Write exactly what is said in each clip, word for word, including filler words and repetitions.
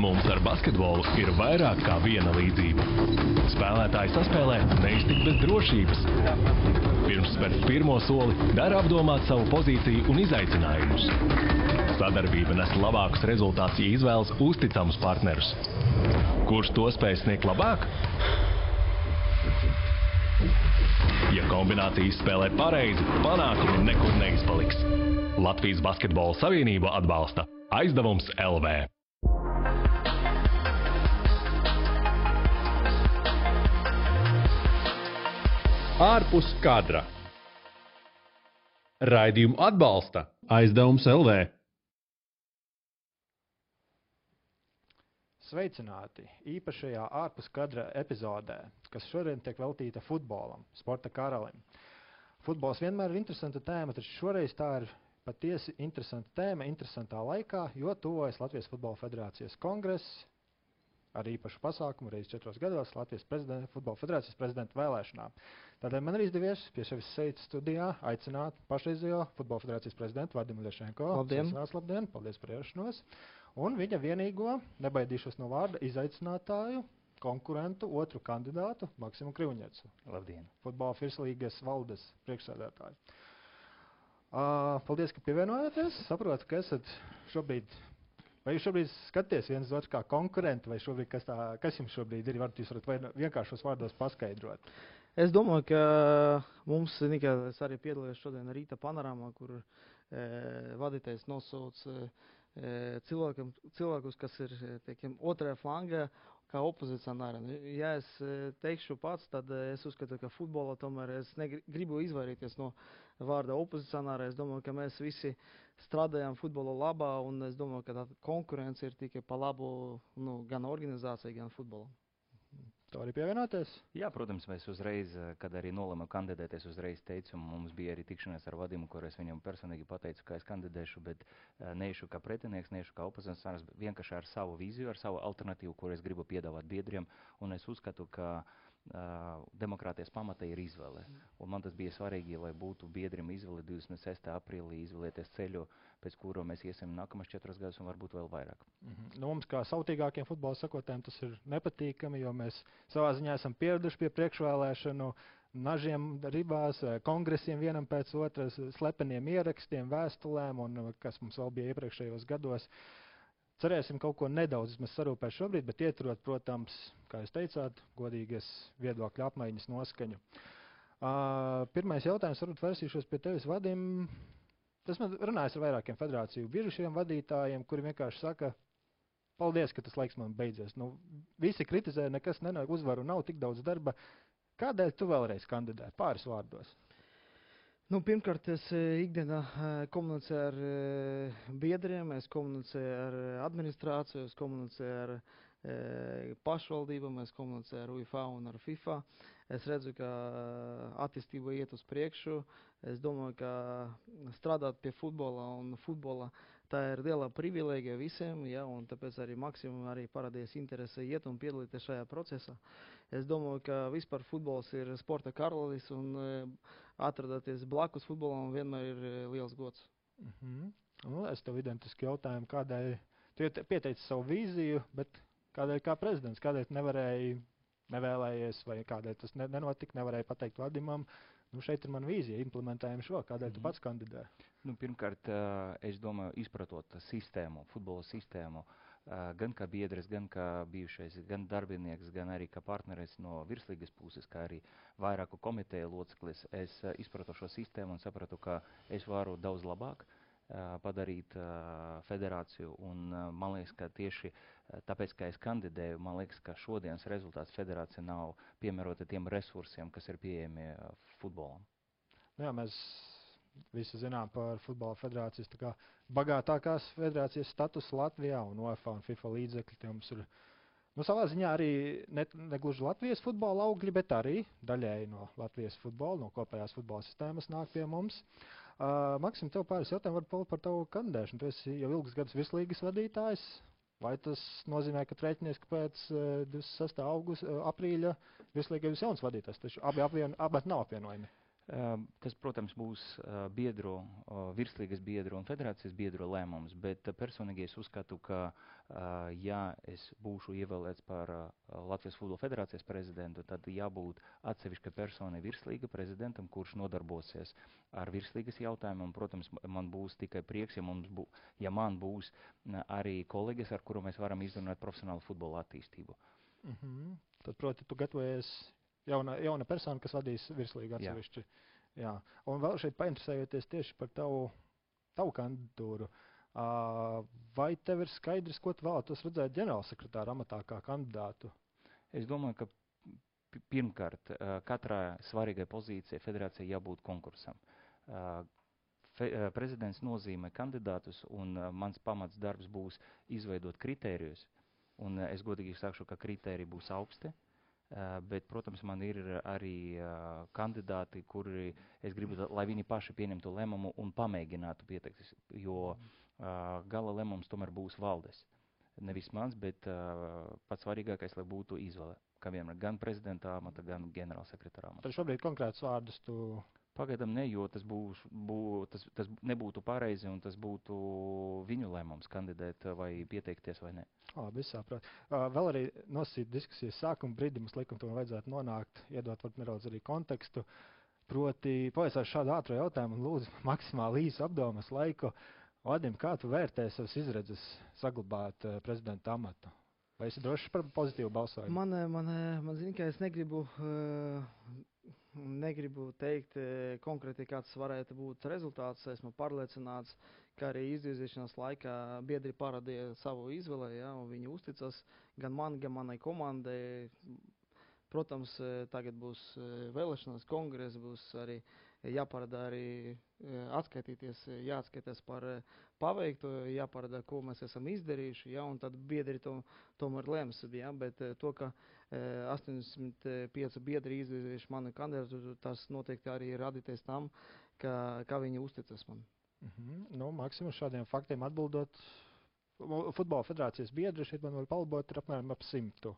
Mums ar basketbolu ir vairāk kā viena līdzība. Spēlētāji saspēlē neiztikt bez drošības. Pirms spērt pirmo soli, dara apdomāt savu pozīciju un izaicinājumus. Sadarbība nes labākus rezultātus, ja izvēlas uzticamus partnerus. Kurš to spēj sniegt labāk? Ja kombinācijas spēlē pareizi, panākumi nekur neizpaliks. Latvijas Basketbola Savienība atbalsta Aizdevums L V. Ārpus kadra. Raidījumu atbalsta Aizdevums L V. Sveicināti īpašajā ārpus kadra epizodē, kas šodien tiek veltīta futbolam, sporta karalim. Futbols vienmēr ir interesanta tēma, taču šoreiz tā ir patiesi interesanta tēma, interesantā laikā, jo tuvojas Latvijas Futbola Federācijas kongress ar īpašu pasākumu reiz četros gados Latvijas Futbola Federācijas prezidenta vēlēšanām. Tādēļ man ir izdevies pie sevis šeit studijā aicināt pašreizējo Futbola Federācijas prezidentu Vadimu Lešenko. Labdien! Sveicinās, labdien! Paldies par ierašanos! Un viņa vienīgo, nebaidīšos no vārda, izaicinātāju, konkurentu, otru kandidātu, Maksimu Krivņecu. Labdien! Futbola Firslīgas valdes priekšsēdētāju. Uh, paldies, ka pievienojāties. Saprotu, ka esat šobrīd, vai jūs šobrīd skaties viens otru kā konkurenti, vai šobrīd, kas, tā, kas jums šobrīd ir, varat jūs varat vienkāršos vārdos paskaidrot? Es domāju, ka mums, Nika, es arī piedalījos šodien rīta panorāmā, kur e, vadītājs nosauc e, cilvēkiem, cilvēkus, kas ir teikiem, otrajā flangā, kā opozicionāri. Ja es teikšu pats, tad es uzskatu, ka futbolā tomēr es negribu izvairīties no vārda opozicionāri. Es domāju, ka mēs visi strādājam futbola labā, un es domāju, ka tā konkurence ir tikai pa labu nu, gan organizācijai, gan futbolam. To arī pievienoties? Jā, protams, mēs uzreiz, kad arī nolēmu kandidēties, uzreiz teicu, mums bija arī tikšanās ar Vadimu, kur es viņam personīgi pateicu, ka es kandidēšu, bet neiešu kā pretinieks, neiešu kā opozicionārs, vienkārši ar savu vīziju, ar savu alternatīvu, kur es gribu piedāvāt biedriem, un es uzskatu, ka Uh, demokrātijas pamata ir izvēle. Un man tas bija svarīgi, lai būtu biedriem izvēle divdesmit sestā aprīlī izvēlēties ceļu, pēc kura mēs iesim nākamas četras gadus un varbūt vēl vairāk. Mm-hmm. Nu, mums kā sautīgākiem futbola sakotājiem tas ir nepatīkami, jo mēs savā ziņā esam pieraduši pie priekšvēlēšanu nažiem ribās, kongresiem vienam pēc otras, slepeniem ierakstiem, vēstulēm un kas mums vēl bija iepriekšējos gados. Cerēsim kaut ko nedaudz sarūpēt šobrīd, bet ieturot, protams, kā jūs teicāt, godīgas viedokļu apmaiņas noskaņu. Uh, pirmais jautājums, varbūt vērsīšos pie tevis, Vadim. Tas man runājas ar vairākiem federāciju bijušiem vadītājiem, kuri vienkārši saka, paldies, ka tas laiks man beidzies. Nu, visi kritizē, nekas nenāk, uzvaru nav, tik daudz darba. Kādēļ tu vēlreiz kandidē? Pāris vārdos. Nu, pirmkārt, es ikdienā komunicēju ar biedriem, es komunicēju ar administrāciju, es komunicēju ar pašvaldībām, es komunicēju ar U E F A un ar FIFA. Es redzu, ka attīstība iet uz priekšu. Es domāju, ka strādāt pie futbola un futbola tā ir liela privilēģija visiem, ja, un tāpēc arī Maksimum arī parādījās interese iet un piedalīties šajā procesā. Es domāju, ka vispār futbols ir sporta karalis un atrodoties blakus futbolam vienmēr ir liels gods. Mm-hmm. Nu, es tev identiski jautājumu, kādēļ tu pieteici savu vīziju, bet kādēļ kā prezidents, kādēļ nevarēji, nevēlējies vai kādēļ tas nenotika, nevarēja pateikt Vadimam, nu šeit ir mana vīzija, implementējam šo, kādēļ tu pats kandidē? Nu, pirmkārt, es domāju, izpratot sistēmu, futbola sistēmu, gan kā biedrs, gan kā bijušais, gan darbinieks, gan arī kā partneris no virslīgas puses, kā arī vairāku komiteju loceklis, es izpratu šo sistēmu un sapratu, ka es varu daudz labāk padarīt federāciju, un man liekas, ka tieši tāpēc, ka es kandidēju, man liekas, ka šodienas rezultāts federācija nav piemērota tiem resursiem, kas ir pieejami futbolam. Jā, mēs visi zinām par futbola federācijas tā kā bagātākās federācijas status Latvijā un U E F A un FIFA līdzekļi. Tie mums ir, nu, savā ziņā arī ne, negluži Latvijas futbola augļi, bet arī daļēji no Latvijas futbola, no kopējās futbola sistēmas nāk pie mums. Uh, Maksim, tev pāris jautājumu var par tavu kandidēšanu. Tu esi jau ilgus gadus virslīgas vadītājs. Vai tas nozīmē, ka rēķinies, ka pēc uh, divdesmit sestā augusta, uh, aprīļa virslīgai jūs jauns vadītājs? Taču abi, apvien, abi nav apvienojumi. Tas, protams, būs biedru, virslīgas biedru un federācijas biedru lēmums, bet personīgi es uzskatu, ka, ja es būšu ievēlēts par Latvijas Futbola federācijas prezidentu, tad jābūt atsevišķa persona virslīga prezidentam, kurš nodarbosies ar virslīgas jautājumu, un, protams, man būs tikai prieks, ja, mums bū, ja man būs arī kolēģis, ar kuru mēs varam izrunāt profesionālu futbola attīstību. Mm-hmm. Tad, proti, tu gatavojies Jauna, jauna persona, kas vadīs virslīgu atsevišķi. Jā. Jā. Un vēl šeit painteresējoties tieši par tavu, tavu kandidatūru. Uh, vai tev ir skaidrs, ko tu vēlētos redzēt ģenerālsekretāra amatā kā kandidātu? Es domāju, ka pirmkārt, katrā svarīgai pozīcijai federācijai jābūt konkursam. Fe, prezidents nozīmē kandidātus, un mans pamats darbs būs izveidot kritērijus. Un es godīgi sakšu, ka kritēriji būs augsti. Uh, bet, protams, man ir arī uh, kandidāti, kuri es gribu, lai viņi paši pieņemtu lēmumu un pamēģinātu pieteikties, jo uh, gala lēmums tomēr būs valdes. Nevis mans, bet uh, pats svarīgākais, lai būtu izvēle, kā vienmēr, gan prezidenta amata, gan ģenerālsekretāra amata. Tad šobrīd konkrētus vārdus tu... Pagaidām ne, jo tas, būs, bū, tas, tas nebūtu pareizi un tas būtu viņu lēmums kandidēt vai pieteikties vai ne. Labi, es saprotu. Uh, vēl arī nosīt diskusijas sākuma brīdī, mums likam, to vajadzētu nonākt, iedot varbūt nedaudz arī kontekstu. Proti, pavaicāšu šādu ātru jautājumu un lūdzu maksimāli īsu apdomas laiku. Vadim, kā tu vērtē savas izredzes saglabāt uh, prezidenta amatu? Vai esi drošs par pozitīvu balsojumu? Man, man, man zina, ka es negribu... Uh, Negribu teikt konkrēti, kāds varētu būt rezultāts. Esmu pārliecināts, ka arī izvirzīšanās laikā biedri parādīja savu izvēli, ja, un viņi uzticas gan man, gan manai komandai. Protams, tagad būs vēlēšanas, kongress, būs arī jāparāda arī atskaitīties, jāatskaitās par paveikto, jāparāda, ko mēs esam izdarījuši, ja, un tad biedri to, tomēr lems, ja, bet to, ka astoņdesmit pieci biedri izvirzījuši manu kandidātu, tas noteikti arī radīties tam, ka, ka viņi uzticas man. Mm-hmm. Nu, maksimums šādiem faktiem atbildot, futbola federācijas biedri šeit man var palabot ir apmēram ap simtu.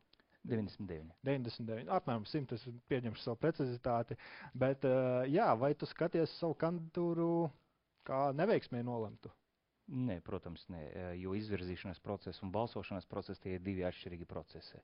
deviņdesmit deviņi. deviņdesmit deviņi. Apmēram simt, es pieņemšu savu precizitāti. Bet, uh, jā, vai tu skaties savu kandidatūru kā neveiksmē nolemtu? Nē, protams, nē, jo izvirzīšanas process un balsošanas process tie ir divi atšķirīgi procesi.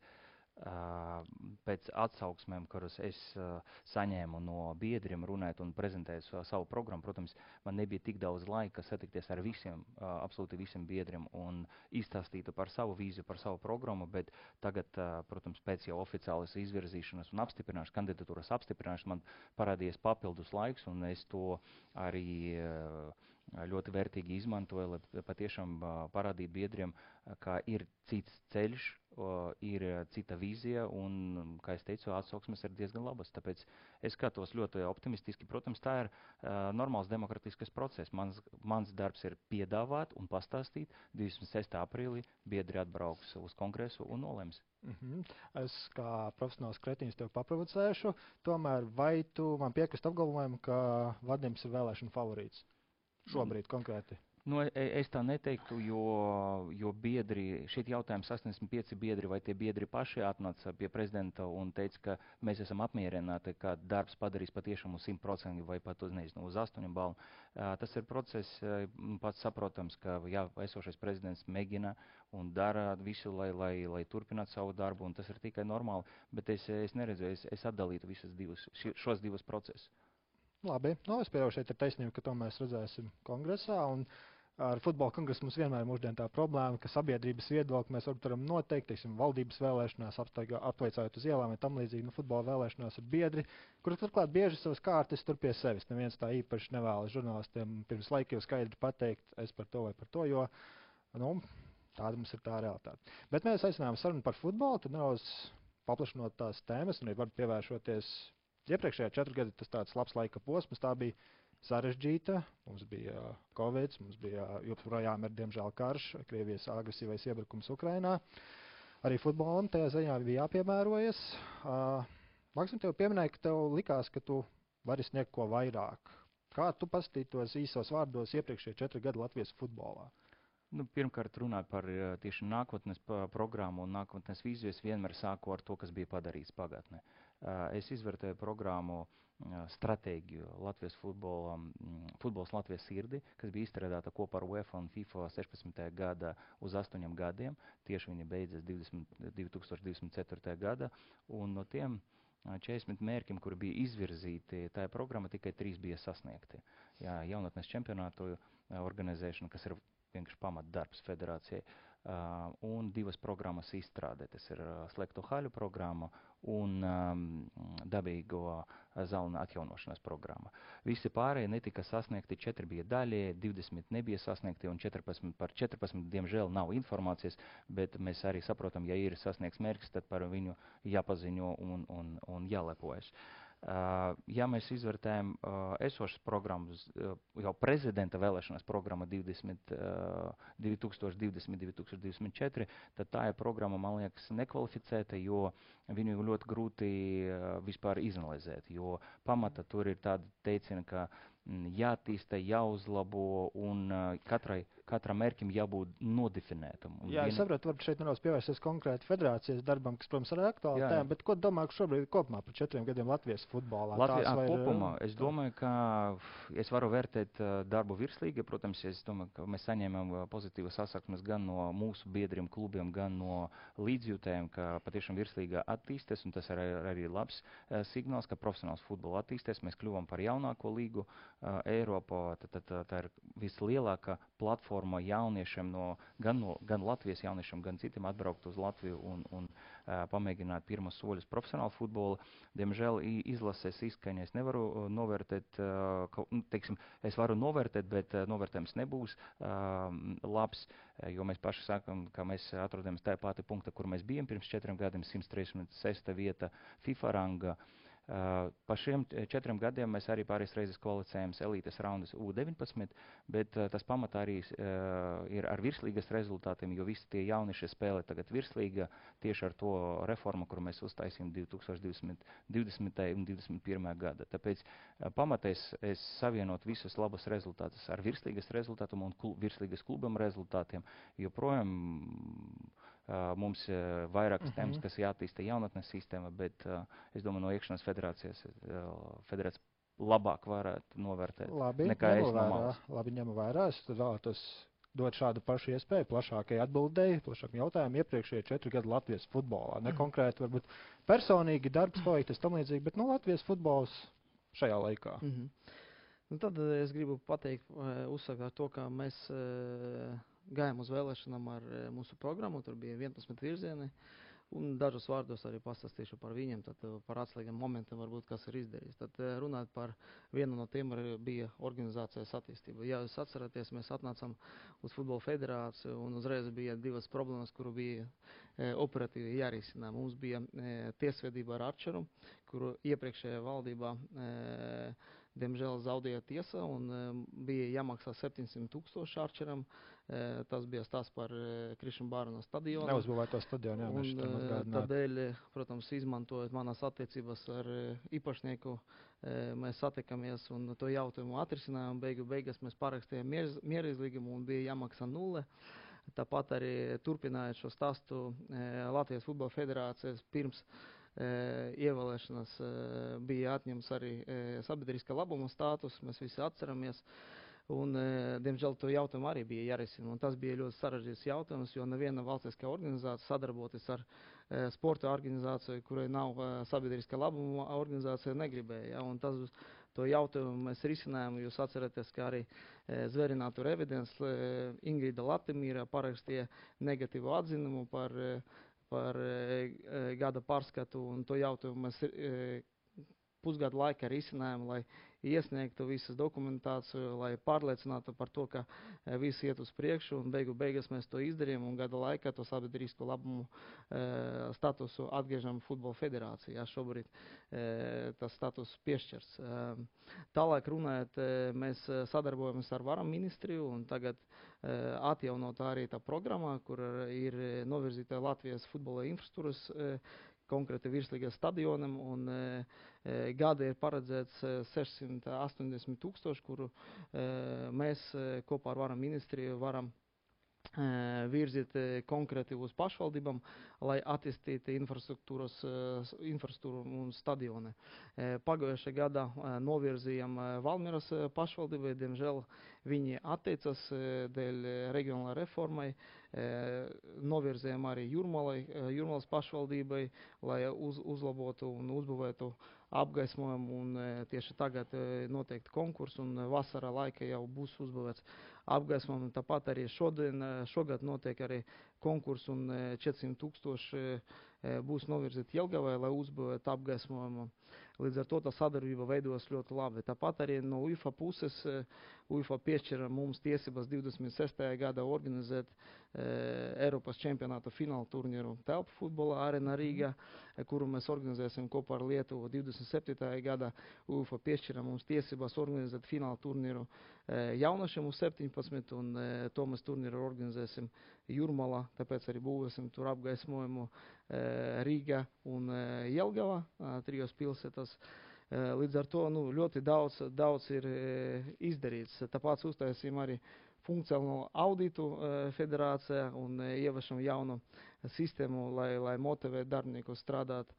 Uh, pēc atsauksmēm, kuras es uh, saņēmu no biedriem runājot un prezentējot uh, savu programmu, protams, man nebija tik daudz laika satikties ar visiem, uh, absolūti visiem biedriem un izstāstītu par savu vīziju, par savu programmu, bet tagad, uh, protams, pēc jau oficiālas izvirzīšanas un apstiprināšanas, kandidatūras apstiprināšanas man parādījies papildus laiks, un es to arī uh, ļoti vērtīgi izmantoju, lai patiešām uh, parādītu biedriem, uh, ka ir cits ceļš, uh, ir cita vīzija un, kā es teicu, atsauksmes ir diezgan labas. Tāpēc es skatos ļoti optimistiski. Protams, tā ir uh, normāls demokratiskas process. Mans, mans darbs ir piedāvāt un pastāstīt. divdesmit sestā aprīlī biedri atbrauks uz kongresu un nolems. Mm-hmm. Es kā profesionāls kretīns tev paprovocēšu. Tomēr vai tu man piekrist apgalvojumu, ka Vadims ir vēlēšana favorīts? Šobrīd konkrēti. Nu, es tā neteiktu, jo, jo biedri, šeit jautājums astoņdesmit pieci biedri, vai tie biedri paši atnāca pie prezidenta un teica, ka mēs esam apmierināti, ka darbs padarīs patiešām uz simt procenti vai pat uz, nezinu, uz astoņu balvu. Tas ir process pats saprotams, ka jā, esošais prezidents mēģina un dara visu, lai, lai, lai turpinātu savu darbu, un tas ir tikai normāli, bet es, es neredzu, es, es atdalītu visas divas, šos divus procesus. Labi, nu, es pieļauju, šeit ir taisnība, ka to mēs redzēsim kongresā, un ar futbola kongresu mums vienmēr mūždien tā problēma, ka sabiedrības viedokli mēs varam noteikt, teiksim, valdības vēlēšanās, apveicājot uz ielām vai tam līdzīgi, nu, futbola vēlēšanās ir biedri, kur turklāt bieži savas kārtas tur pie sevis. Neviens tā īpaši nevēlas žurnālistiem pirms laika jau skaidri pateikt, es par to vai par to, jo, nu, tāda mums ir tā realitāte. Bet mēs aicinājām sarunu par futbolu, tad nedaudz paplašinot tās tēmas, un arī var pievēršoties. Iepriekšējā četru gadu tas tāds labs laika posms, tā bija sarežģīta, mums bija Covid, mums bija joprojām ir diemžēl karš, Krievijas agresīvais iebrukums Ukrainā. Arī futbolam tajā ziņā bija jāpiemērojas. Uh, Maksim, tev pieminēja, ka tev likās, ka tu vari sniegt ko vairāk. Kā tu pastītos īsos vārdos iepriekšējā četru gadu Latvijas futbolā? Nu, pirmkārt, runāt par uh, tieši nākotnes pa, programmu un nākotnes vīziju. Es vienmēr sāku ar to, kas bija padarīts pagātnē. Uh, es izvērtēju programmu uh, stratēģiju Latvijas futbolam, mm, futbols Latvijas sirdi, kas bija izstrādāta kopā ar UEFA un FIFA sešpadsmitajā gada uz astoņiem gadiem. Tieši viņa beidzas divi tūkstoši divdesmit ceturtajā gada. Un no tiem četrdesmit mērķiem, kuri bija izvirzīti, tā programma tikai trīs bija sasniegti. Jā, jaunatnes čempionātu organizēšana, kas ir vienkārši pamatdarbs federācijai, uh, un divas programmas izstrādē. Tas ir uh, slēgto haļu programma un um, dabīgo zāļu atjaunošanas programma. Visi pārējie netika sasniegti, četri bija daļie, divdesmit nebija sasniegti un četrpadsmit, par četrpadsmit diemžēl nav informācijas, bet mēs arī saprotam, ja ir sasniegts mērķis, tad par viņu jāpaziņo un, un, un jālepojas. Uh, ja mēs izvērtējam uh, esošas programmas, uh, jau prezidenta vēlēšanas programma divdesmit, uh, divi tūkstoši divdesmit, divi tūkstoši divdesmit četri, tad tā ir programma, man liekas, nekvalificēta, jo viņu ļoti grūti uh, vispār izanalizēt, jo pamata tur ir tāda teicina, ka mm, jātīsta, jāuzlabo un uh, katrai, katram mērķim jābūt nodefinētam. Un Jā, viena... es saprotu, varbūt šeit nedaudz pievērsties konkrēti federācijas darbam, kas, protams, ir aktuāli tēma, bet ko domā šobrīd kopumā par četriem gadiem Latvijas futbolā? Latvijā vai kopumā, ir, es domāju, ka es varu vērtēt uh, darbu virslīgi, protams, es domāju, ka mēs saņēmām uh, pozitīvas sasauksmes gan no mūsu biedriem klubiem, gan no līdzjūtējiem, ka patiešām virslīga attīsties, un tas ir arī, arī labs uh, signāls, ka profesionāls futbola attīsties, mēs kļuvam par jaunāko līgu uh, Eiropā, tad, tad, tad tā ir vislielākā platforma jauniešiem no, gan no gan Latvijas jauniešiem, gan citiem atbraukt uz Latviju un, un uh, pamēģināt pirmas soļus profesionālu futbolu. Diemžēl izlases izskaņa es nevaru uh, novērtēt, uh, ka, nu, teiksim, es varu novērtēt, bet uh, novērtējums nebūs uh, labs, jo mēs paši sakam, ka mēs atrodamies tajā pati punkta, kur mēs bijām pirms četriem gadiem, simt trīsdesmit sesta vieta FIFA ranga. Uh, pa šiem četriem gadiem mēs arī pāris reizes kvalificējām elites raundas U deviņpadsmit, bet uh, tas pamatā arī uh, ir ar virslīgas rezultātiem, jo visi tie jaunieši spēlē tagad virslīga tieši ar to reformu, kuru mēs uztaisījām divi tūkstoši divdesmitajā un divdesmit pirmajā gada. Tāpēc uh, pamatā es, es savienot visus labus rezultātus ar virslīgas rezultātiem un klub, virslīgas klubam rezultātiem, jo projām Uh, mums uh, vairākas uh-huh. tēmas, kas jātīsta jaunatnes sistēma, bet uh, es domāju, no iekšanas federācijas uh, federācijas labāk varētu novērtēt Labi, nekā es vērā, no malas. Labi, ņemu vērā. Es vēlētos dot šādu pašu iespēju plašākai atbildēji, plašākam jautājumu iepriekšējie četri gadi Latvijas futbolā. Ne konkrēti, varbūt personīgi darbs paveiktas tam līdzīgi, bet no Latvijas futbols šajā laikā. Mm-hmm. Nu, tad es gribu pateikt, uzsākt ar to, ka mēs gājām uz vēlēšanām ar mūsu programmu, tur bija vienpadsmit virzieni, un dažus vārdos arī pastāstīšu par viņiem, tad par atslēgiem momentiem varbūt, kas ir izdarījis. Tad runāt par vienu no tiem bija organizācijas attīstība. Ja jūs atceraties, mēs atnācām uz futbola federāciju, un uzreiz bija divas problēmas, kuru bija e, operatīvi jārisina. Mums bija e, tiesvedība ar Arčeru, kuru iepriekšējā valdībā e, diemžēl zaudēja tiesa, un e, bija jāmaksā septiņsimt tūkstoši Arčeram. E, tas bija stāsts par e, Krišņa Bārona stadionu. Neuzbūvēto stadionu, jā, mēs šitam atgādināt. Tādēļ, protams, izmantojot manas attiecības ar e, īpašnieku, e, mēs satikamies un to jautājumu atrisinājām. Beigu beigās mēs parakstījām mierīzlīgumu un bija jāmaksā nulle. Tāpat arī turpinājot šo stāstu e, Latvijas futbola federācijas pirms E, ievēlēšanas e, bija atņemts arī e, sabiedriskā labuma status, mēs visi atceramies, un, e, diemžēl, to jautājumu arī bija jārisina, un tas bija ļoti sarežģīts jautājums, jo neviena valstiskā organizācija sadarboties ar e, sporta organizāciju, kurai nav e, sabiedriskā labuma organizācija, negribēja, ja, un tas, to jautājumu mēs risinājām, jūs atceraties, ka arī e, Zverinātu evidens e, Ingrida Latimīra parakstīja negatīvu atzinumu par e, par e, gada pārskatu, un to jautājumu mēs e, pusgadu laikā risinājām, lai iesniegtu visas dokumentāciju, lai pārliecinātu par to, ka e, viss iet uz priekšu, un beigu beigas mēs to izdarījām, un gada laikā to sabiedrisko labumu e, statusu atgriežam futbola federācijā. Šobrīd e, tas status piešķirs. E, tālāk runājot, e, mēs sadarbojamies ar varam ministriju, un tagad e, atjaunot arī tā programmā, kur ir novirzīta Latvijas futbola infrastruktūras e, konkrēti virslīgā stadionam, un e, gada ir paredzēts sešsimt astoņdesmit tūkstoši, kuru e, mēs e, kopā ar varam ministriju varam virzīt konkrēti uz pašvaldībām, lai attīstītu infrastruktūras, infrastruktūru un stadioni. Pagājušajā gadā novirzījām Valmieras pašvaldībai, diemžēl viņi atteicas dēļ regionālā reformai. Novirzījām arī Jūrmalai, Jūrmalas pašvaldībai, lai uz, uzlabotu un uzbūvētu apgaismojumu, un tieši tagad noteikti konkurss, un vasarā laika jau būs uzbūvēts apgaismojumu. Tāpat arī šodien, šogad notiek arī konkurss, un četrsimt tūkstoši būs novirzīti Jelgavai, lai uzbūvētu apgaismojumu. Līdz ar to tā sadarbība veidos ļoti labi. Tāpat arī no U E F A puses U E F A piešķira mums tiesības divdesmit sestajā gadā organizēt e, Eiropas čempionāta fināla turnīru telpu futbola Arena Rīga, kuru mēs organizēsim kopā ar Lietuvu divdesmit septītajā gadā. U E F A piešķira mums tiesības organizēt fināla turnīru e, jaunašiem uz septiņpadsmit, un e, to mēs turnīru organizēsim Jūrmalā, tāpēc arī būvēsim tur apgaismojumu e, Rīga un e, Jelgava, e, trijos pilsētas. Līdz ar to nu, ļoti daudz, daudz ir izdarīts. Tāpēc uztaisījām arī funkcionālu auditu federācijā un ieviešam jaunu sistēmu, lai, lai motivētu darbiniekus strādāt.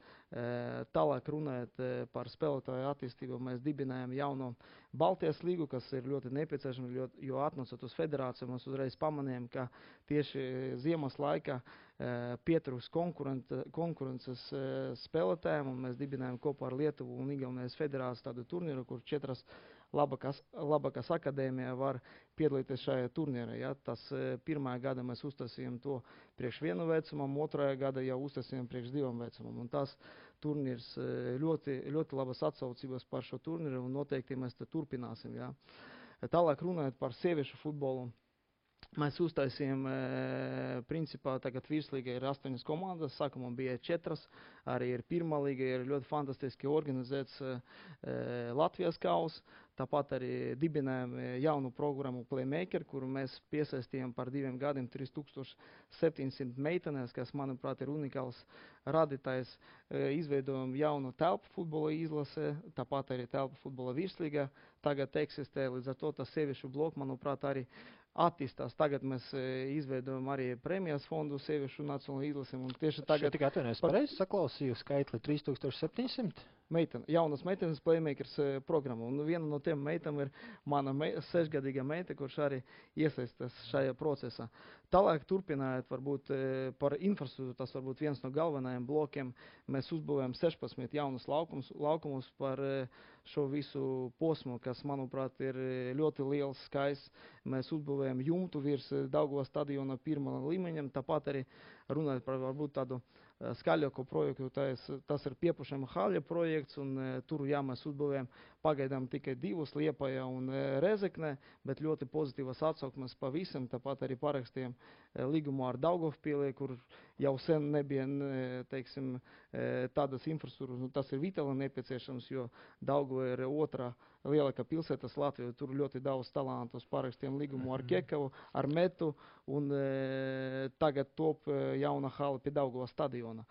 Tālāk runājot par spēlētāju attīstību, mēs dibinājām jauno Baltijas līgu, kas ir ļoti nepieciešama, jo atnācot uz federāciju, mēs uzreiz pamanījām, ka tieši ziemas laikā pietrūks konkurences spēlētājiem, un mēs dibinājām kopā ar Lietuvu un Igaunijas federāciju tādu turnīru, kur četras labākās, labākās akadēmijā var piedalīties šajā turnīrā. Ja? Tas pirmā gada mēs uztasījām to priekš vienu vecumam, otrajā gada jau uztasījām priekš divam vecumam. Un tas turnīrs ļoti, ļoti labas atsaucības par šo turnīru, un noteikti mēs te turpināsim. Ja? Tālāk runājot par sieviešu futbolu. Mēs uztaisījām, e, principā, tagad virslīga ir astoņas komandas, sākumā bija četras, arī ir pirmā līga, ir ļoti fantastiski organizēts e, Latvijas kaus, tāpat arī dibinājām jaunu programmu Playmaker, kuru mēs piesaistījām par diviem gadiem trīs tūkstoši septiņsimt meitenes, kas, manuprāt, ir unikāls radītājs. E, izveidojām jaunu telpu futbola izlase, tāpat arī telpu futbola virslīga tagad eksistē, līdz ar to tas sieviešu bloku, manuprāt, arī attīstās. Tagad mēs e, izveidojam arī prēmijas fondu sieviešu nacionālo izlasim. Un tieši tagad... Šeit tikai atvainojas pareizi saklausīju skaitli trīs tūkstoši septiņsimt? Meitene, jaunas meitenes Playmakers e, programma. Un viena no tiem meitām ir mana me, sešgadīga meita, kurš arī iesaistās šajā procesā. Tālāk turpinājot varbūt e, par infrastruktūru, tas varbūt viens no galvenajiem blokiem. Mēs uzbūvējam sešpadsmit jaunus laukumus, laukumus par e, šo visu posmu, kas, manuprāt, ir ļoti liels, skaists. Mēs uzbūvējam jumtu virs Daugavas stadiona pirmā līmeņam, tāpat arī runājot par varbūt tādu skaļāko projektu, tas, tas ir Piepušama haļa projekts, un e, tur, jā, mēs uzbūvējam pagaidām tikai divus Liepājā un e, Rezeknē, bet ļoti pozitīvas atsauksmes pa visam, tāpat arī parakstījām e, līgumu ar Daugavpilī, kur jau sen nebija, e, teiksim, e, tādas infrastruktūras, nu, tas ir vitāli nepieciešams, jo Daugava ir otrā lielākā pilsētas Latvijā, tur ļoti daudz talantus, parakstījām līgumu ar Kekavu, ar Metu, un e, tagad top e, jauna hala pie Daugavas stadiona.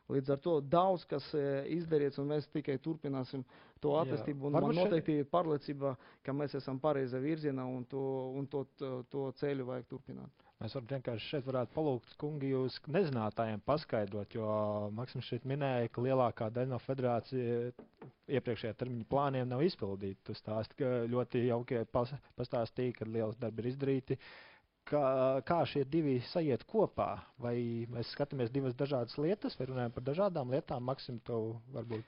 Līdz ar to daudz, kas e, izdarīts, un mēs tikai turpināsim to attīstību, un man noteikti ir pārliecība, ka mēs esam pareizā virzienā, un to, un to, to, to ceļu vajag turpināt. Mēs varam vienkārši šeit varētu palūgt, kungi, jūs nezinātājiem paskaidrot, jo Maksims šeit minēja, ka lielākā daļa no federācija iepriekšējā termiņa plāniem nav izpildīta. Tu stāsti, ka ļoti jauki pas, pastāstīja, ka liels darbi ir izdarīti. Kā, kā šie divi sajiet kopā? Vai mēs skatāmies divas dažādas lietas, vai runājam par dažādām lietām? Maksim, tev varbūt...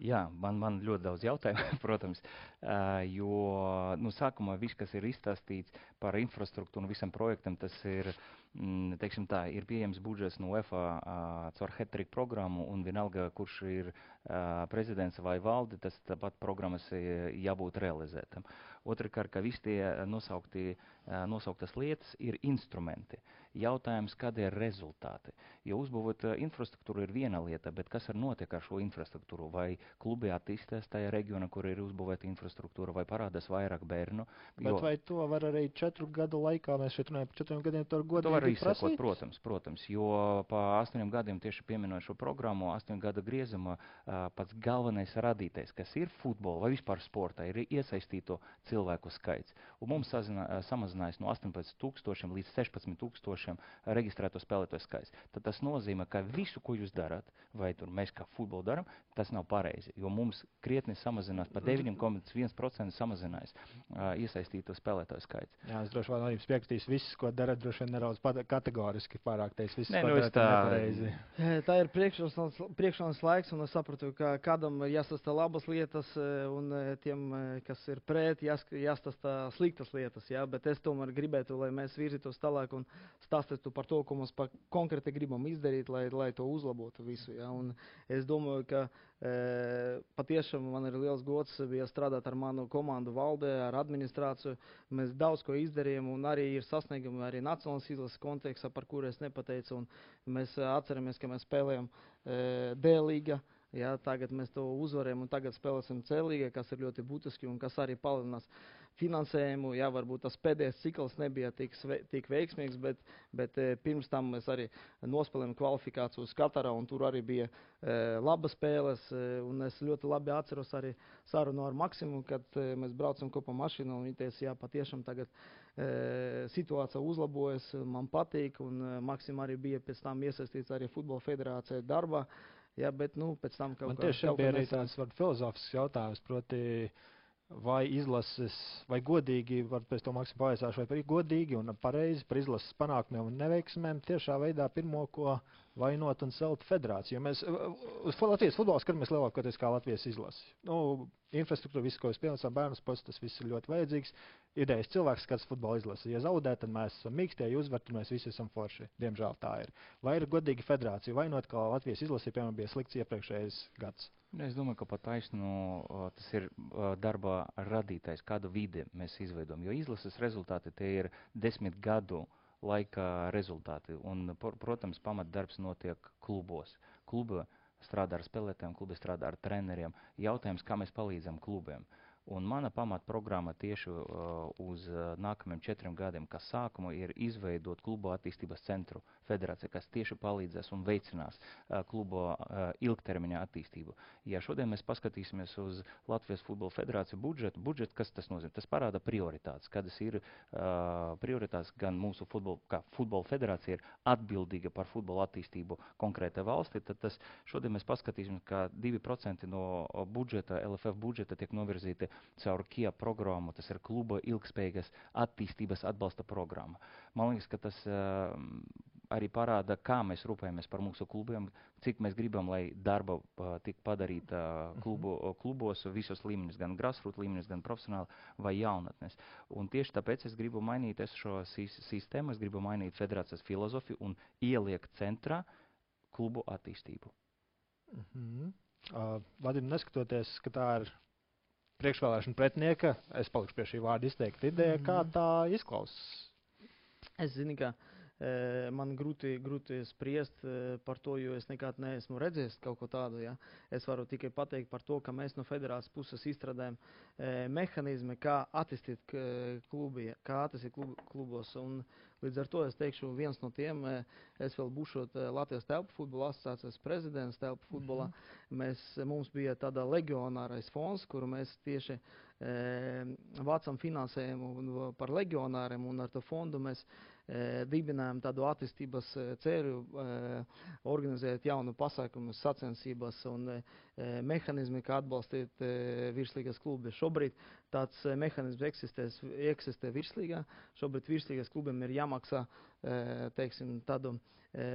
Jā, man, man ļoti daudz jautājumu, protams, uh, jo nu, sākumā viss, kas ir izstāstīts par infrastruktūru un visam projektam, tas ir, mm, teiksim tā, ir pieejams budžets no U E F A uh, caur hat-trick programmu, un vienalga, kurš ir uh, prezidents vai valde, tas tāpat programmas jābūt realizētam. Otrakārt, ka visi tie nosaukti, uh, nosauktas lietas ir instrumenti. Jautājums, kādi ir rezultāti? Jo uzbūvot uh, infrastruktūru ir viena lieta, bet kas ar notiek ar šo infrastruktūru? Vai klubi attīstās tajā reģionā, kur ir uzbūvēta infrastruktūra, vai parādās vairāk bērnu? Bet jo... vai to var arī četru gadu laikā, mēs šeit runājam par četriem gadiem, to var godīgi varu tikt izsekot, prasītas? protams, protams, jo pa astoņiem gadiem tieši pieminot šo programmu, astoņu gadu griezuma uh, pats galvenais radītais, kas ir futbola vai vispār sportā, ir iesaistīto cilvēku skaits. Un mums sazinā, samazinājās no astoņpadsmit tūkstošiem līdz sešpadsmit tūkstošiem reģistrēto spēlētāju skaits. Tad tas nozīmē, ka visu, ko jūs darat, vai tur mēs kā futbolu daram, tas nav pareizi, jo mums krietni samazinās, pa deviņi komats viens procents samazinājās uh, iesaistīto spēlētāju skaits. Jā, es droši vien arī piekritīs, viss, ko dara, droši vien nedaudz kategoriski pārāk teiks, viss, Nē, ko nu, dara, tā... nepareizi. Tā ir priekšronas laiks, un es sapratu, ka kādam ir jāstāsta labas lietas, un tiem, kas ir pret, jāstāsta sliktas lietas, jā, bet es tomēr gribētu, lai mēs virzītos tālāk un stāstītu par to, ko mums pa konkrēti gribam izdarīt, lai, lai to uzlabotu visu, jā, un es domāju, ka e, patiešām man ir liels gods bija strādāt ar manu komandu valdē, ar administrāciju, mēs daudz ko izdarījām, un arī ir sasniegumi arī nacionālas izlases kontekstā, par kuru es nepateicu, un mēs atceramies, ka mēs spēlējam e, D-līga. Jā, tagad mēs to uzvarējam un tagad spēlēsim C-līgā, kas ir ļoti būtiski un kas arī palielinās finansējumu. Jā, varbūt tas pēdējais cikls nebija tik, tik veiksmīgs, bet, bet e, pirms tam mēs arī nospēlējam kvalifikāciju uz Katarā un tur arī bija e, labas spēles. E, un es ļoti labi atceros arī sarunu ar Maksimu, kad e, mēs braucam kopā mašīnā un viņi teica, jā, patiešām tagad e, situācija uzlabojas, man patīk un e, Maksim arī bija pēc tam iesaistīts arī Futbola federācijā darbā. Jā, bet, nu, pēc tam kaut Man kā... tieši bija arī tāds filozofisks jautājums, proti, vai izlases, vai godīgi, var pēc to Maksim pavaicāšu, vai godīgi un pareizi par izlases panākumiem un neveiksmēm tiešā veidā pirmo, ko vainot un celt federāciju. Mēs uz Latvijas futbola skatāmies lielākoties kā Latvijas izlasi. Nu, infrastruktūra, viss, ko jūs piemēram bērnu sports, tas viss ir ļoti vajadzīgs. Idejas cilvēks skats futbola izlasi. Ja zaudē, tad mēs esam mīkstie, ja uzvar, tad mēs visi esam forši. Diemžēl tā ir. Vai ir godīgi federācija vainot, kā Latvijas izlasi, piemēram, bija slikts iepriekšējais gads? Es domāju, ka pat taisnu tas ir darba radītais, kādu vidi mēs izveidojam, jo izlases rezultāti tie ir desmit gadu laika rezultāti. Un, protams, pamatdarbs notiek klubos. Kluba strādā ar spēlētājiem, klubi strādā ar treneriem. Jautājums, kā mēs palīdzam klubiem. Un mana pamatprogramma tieši uh, uz uh, nākamajiem četriem gadiem, kas sākumu ir izveidot klubu attīstības centru federācija, kas tieši palīdzēs un veicinās uh, klubu uh, ilgtermiņa attīstību. Ja šodien mēs paskatīsimies uz Latvijas futbola federāciju budžetu, budžetu, kas tas nozīmē? Tas parāda prioritātes, kādas ir uh, prioritātes gan mūsu futbola, kā futbola federācija ir atbildīga par futbola attīstību konkrētai valstī, tad tas šodien mēs paskatīsimies, ka divi procenti no budžeta, L F F budžeta tiek novirzīti caur K I A programmu, tas ir kluba ilgspējīgas attīstības atbalsta programma. Man liekas, ka tas uh, arī parāda, kā mēs rūpējamies par mūsu klubiem, cik mēs gribam, lai darba uh, tik padarīta uh, klubu, uh, klubos visos līmeņos, gan grassroots līmeņos, gan profesionāli vai jaunatnes. Un tieši tāpēc es gribu mainīt es šo sistēmu, es gribu mainīt federācijas filozofiju un ieliekt centrā klubu attīstību. Mm-hmm. uh, Vadim, neskatoties, ka tā ir priekšvēlēšana pretinieka, es palikšu pie šī vārda izteikta ideja, kā tā izklausās? Es zinu, ka e, man grūti, grūti spriest e, par to, jo es nekad neesmu redzējis kaut ko tādu. Ja? Es varu tikai pateikt par to, ka mēs no federācijas puses izstrādājam e, mehanizmi, kā attīstīt klubi, kā attīstīt klub, klubos. Un līdz ar to es teikšu, viens no tiem, e, es vēl būšot Latvijas telpu futbola asociācijas prezidents telpu futbolā. Mm-hmm. Mēs, mums bija tāda legionārais fonds, kuru mēs tieši e, vācam finansējumu par legionāriem, un ar to fondu mēs e, dibinājām tādu attīstības ceļu, e, organizēt jaunu pasākumu sacensības un e, mehanizmi, kā atbalstīt e, virslīgas klubi. Šobrīd tāds e, mehanizms eksistēs, eksistē virslīgā. Šobrīd virslīgas klubiem ir jāmaksā e, teiksim, tādu e,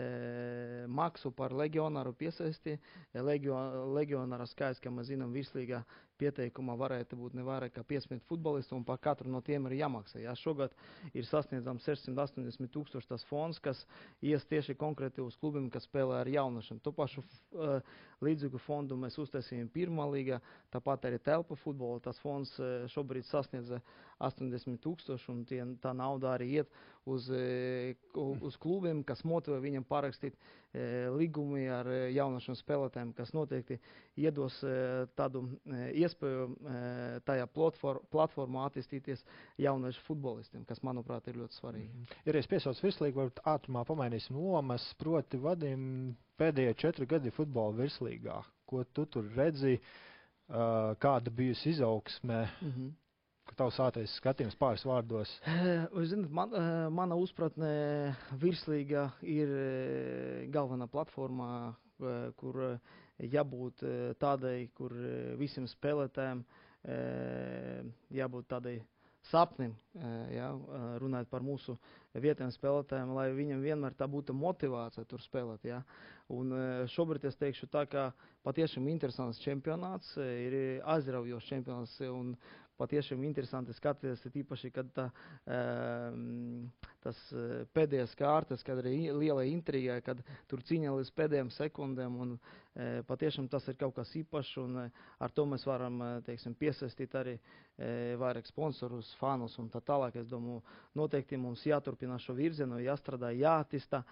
maksu par legionāru piesaisti. Legio, legionāra skaits, kā mēs zinām, virslīgā pieteikumā varētu būt ne vairāk kā piecdesmit futbolistu, un par katru no tiem ir jāmaksā. Jā, šogad ir sasniedzams sešsimt astoņdesmit tūkstoši tas fonds, kas ies tieši konkrēti uz klubiem, kas spēlē ar jaunašiem. To pašu uh, līdzīgu fondu mēs uztaisījām pirmā līgā, tāpat arī telpa futbola. Tas fonds uh, šobrīd sasniedz astoņdesmit tūkstoši, un tie, tā nauda arī iet uz, uz klubiem, kas motivē viņam parakstīt līgumi ar jaunašiem spēlētājiem, kas noteikti iedos tādu iespēju tajā platformā attīstīties jauniešu futbolistiem, kas, manuprāt, ir ļoti svarīgi. Mm-hmm. Ir es piesauc virslīgi, varbūt ātrumā pamainīsim lomas, proti Vadim pēdējie četri gadi futbola virslīgā. Ko tu tur redzi, kāda bijusi izaugsme? Mm-hmm. Tavs ātrais skatījums pāris vārdos. Jūs zināt, man, mana uzpratne virslīga ir galvenā platformā, kur jābūt tādai, kur visiem spēlētājiem jābūt tādai sapnim, ja, runājot par mūsu vietējiem spēlētājiem, lai viņam vienmēr tā būtu motivācija tur spēlēt. Ja. Un šobrīd es teikšu tā, ka patiešām interesants čempionāts, ir aizraujošs čempionāts un patiešām interesanti skatīties, tīpaši, kad tā, tas pēdējās kārtas, kad ir liela intriga, kad tur cīņa līdz pēdējām sekundēm, un patiešām tas ir kaut kas īpašs, un ar to mēs varam, teiksim, piesaistīt arī vairāk sponsorus, fanus un tā tālāk. Es domāju, noteikti mums jāturpina šo virzienu, jāstrādā, jāattīstā.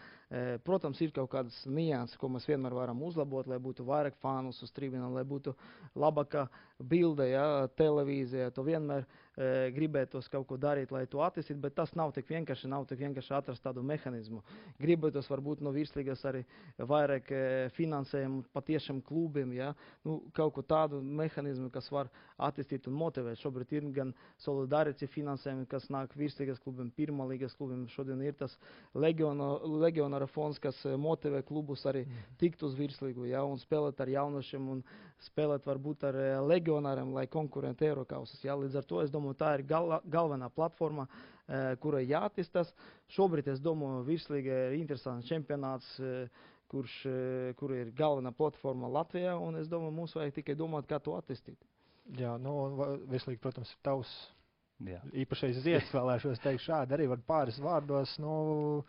Protams, ir kaut kādas nianses, ko mēs vienmēr varam uzlabot, lai būtu vairāk fanus uz tribīnām, lai būtu labāka bilde, ja, televīzija. To vienmēr e, gribētos kaut ko darīt, lai to attīstītu, bet tas nav tik vienkārši, nav tik vienkārši atrast tādu mehānismu. Gribētos varbūt no virslīgas arī vairāk e, finansējumu patiešām klubiem, ja? Nu, kaut ko tādu mehānismu, kas var attīstīt un motivēt. Šobrīd ir gan solidaritāte finansējumi, kas nāk virslīgas klubiem, pirmā līgas klubiem. Šodien ir tas legionāra fonds, kas motivē klubus arī tikt uz virslīgu, ja? Un spēlēt ar jaunošiem un spēlēt varbūt ar legionāriem, lai konkurenti Eirokausas. Ja? Līdz ar to, es domāju, tā ir gal, galvenā platforma, e, kurai jāattīstās. Šobrīd, es domāju, virslīga ir interesants čempionāts, e, kurš, e, kur ir galvenā platforma Latvijā, un es domāju, mums vajag tikai domāt, kā to attīstīt. Jā, nu, virslīgi, protams, ir tavs Jā. īpašais zieds, vēlēšos teikt šādi, arī var pāris vārdos, nu...